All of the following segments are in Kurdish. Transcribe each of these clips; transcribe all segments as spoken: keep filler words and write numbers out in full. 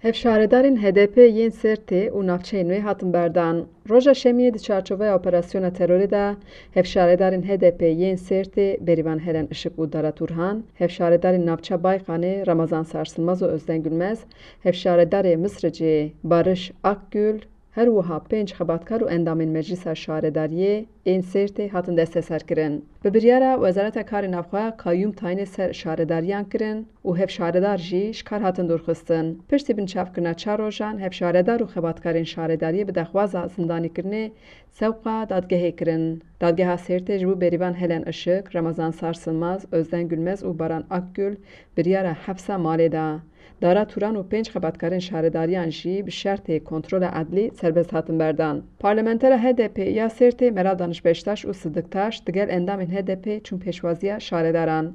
Hevşaredarên H D P yên Sêrtê û navçeyên wê hatin berdan. Roja Şemiyê di çarçoveya operasyona terorê de hevşaredarên H D P yên Sêrtê Bêrîvan Helen Işık û Dara Turhan, hevşaredarên navça Bayqanê Ramazan Sarsılmaz û Özden Gülmez, hevşaredarê Misricê Barış Akgül, her wiha pênc xebatkar û endamên Meclisa Şaredariyê ên Sêrtê hatin desteserkirin. Bi biryara Wezareta Karê Navxwe kayyûm tayînê ser şaredariyan kirin û hevşaredar jî ji kar hatin dûrxistin. Piştî binçavkirina çar rojan, hevşaredar û xebatkarên şaredariyê bi daxwaza zindanîkirinê sewqa dadgehê kirin. Dadgeha Sêrtê ji bo Bêrîvan Helen Işık, Ramazan Sarsılmaz, Özden Gülmez û Baran Akgül biryara hepsa malê da. Dara Turan û pênc xebatkarên şaredariyan jî bi şertê kontrola edlî serbest hatin berdan. Parlamentera H D P ya Sêrtê Meral Daniş Beştaş û Sidik Taş digel endamên H D P çûn pêşwaziya şaredaran.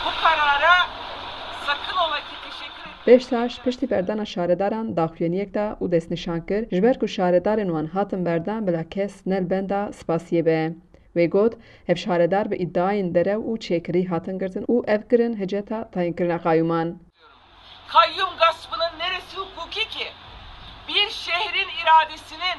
Bu karara sakın ola ki teşekkür etmek Beştaş piştî berdana şaredaran daxuyaniyek da û destnîşan kir, ji ber ku şaredarên wan hatin berdan bila kes ne li benda spasiyê be. Wê got, hevşaredar bi îdiayên derew û çêkirî hatin girtin û ev kirin hiceta tayînkirina qayûman. Kayyum gaspının neresi hukuki ki? Bir şehrin iradesinin,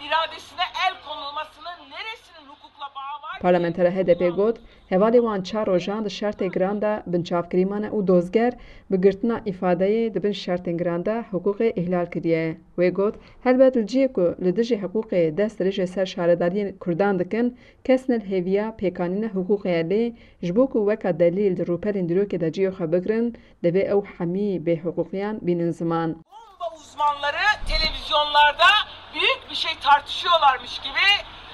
iradesine el konulmasının neresinin hukukla bağı var ki? Parlamentera H D P got, hevalê wan çar rojan di şertê giran de binçavkirî mane û dozger bi girtina îfadeyê di bin şertên giran de hiqûqê îhlal kiriye. Wê got, helbet li cihê ku li dijî hiqûqê dest dirêjê ser şaredariyên Kurdan dikin, kes ne li hêviya pêkanîna hiqûqê ye, lê ji bo ku weka delîl di rûpelên dîrokê de cihê xwe bigirin, divê ew hemî bêhiqûqiyan bînin ziman. Bomba uzmanları televizyonlarda büyük bir şey tartışıyorlarmış gibi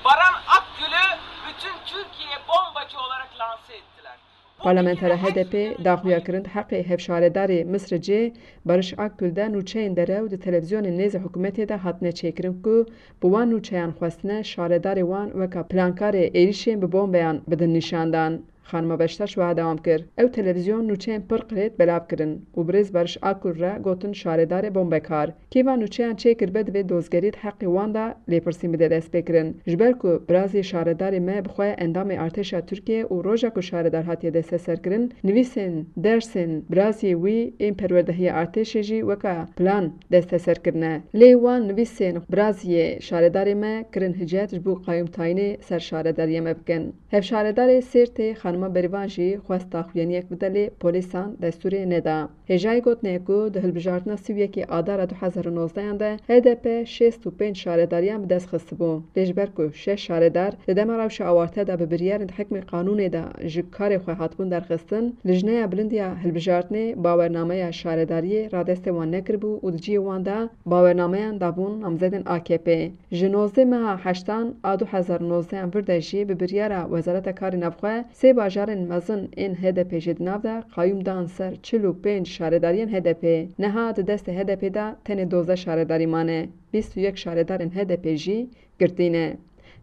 Baran Akgül'ü bütün Türkiye'ye bombacı olarak lanse ettiler. Parlamentera H D P daxuya kirin di heqê hevşaredarê Misricê Barış Akgül de nûçeyên derew di televîzyonên nêzî hikûmetê de hatine çêkirin ku bi wan nûçeyan xwestine şaredarê wan weka plankarê êrîşên bi bombeyan bidin nîşandan. Xanima Beştaş wiha dewam kir, ew televîzyon nûçeyên pir qirêt belav kirin û birêz Barış Akgül re gotin şaredarê bombekar. Kê van nûçeyan çêkiribe divê dozgerî di heqê wan de lêpirsîn bide destpêkirin. Ji ber ku birazê şaredarê me bi xwe endamê artêşa Tirkiyê û roja ku şaredar hatiye desteserkirin, nivîsên dersên birazê wî ên perwerdehiya artêşê jî weka plan desteser kirine. Lê wan nivîsên biraziyê şaredarê me kirin hicet ji bo qayûmtayînê ser şaredariya me bikin. Hevşaredarê Sêrtê Xanima Berivan jî xwest daxuyaniyek bide lê polîsan destûrê neda. Hêjayî gotinê ye ku di hilbijartina sî û yekê Adara du hezar û nozdehan de H D P şêst û pênc şaredariyan bi dest xistibû. Lê ji ber ku şeş şaredar di dema rewşa awarte de bi biryarên hikmê qanûnê de ji karê xwe hatibûn derxistin, Lijneya Bilind ya Hilbijartinê bawernameya şaredariyê radestê wan nekiribû û di cihê wan de bawernameyan dabûn namzedên A K P. Ji nozdeh meha heştan a du hezar û nozdehan vir de jî bi biryara Wezareta Karê Navxwe sê bajarên mezin ên H D P jî di nav de qayûm dan ser çil û pênc şaredariyên H D P. Niha di destê H D P de tenê dozdeh şaredarî mane. Bîst û yek şaredarên H D P jî girtî ne.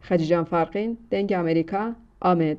Xecîcan Farqîn, Dengê Amerîka, Amed.